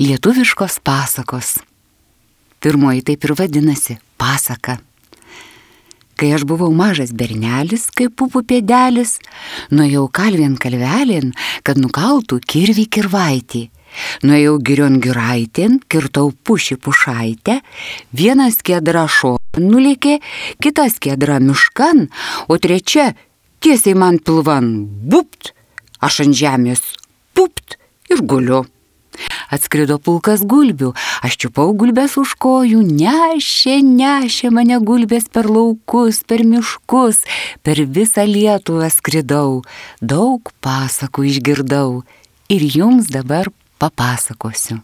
Lietuviškos pasakos. Pirmoji taip ir vadinasi – pasaka. Kai aš buvau mažas bernelis, kaip pupų pėdelis, nuėjau kalvien kalvelin, kad nukaltų kirvį kirvaitį. Nuėjau girion giraitėn, kirtau pušį pušaitę, vienas skiedra šon nulėkė, kitas skiedra miškan, o trečia tiesiai man pilvan bupt, aš ant žemės pupt ir guliu. Atskrido pulkas gulbių, aš čiupau gulbės už kojų, nešė mane gulbės per laukus, per miškus, per visą Lietuvą skridau, daug pasakų išgirdau ir jums dabar papasakosiu.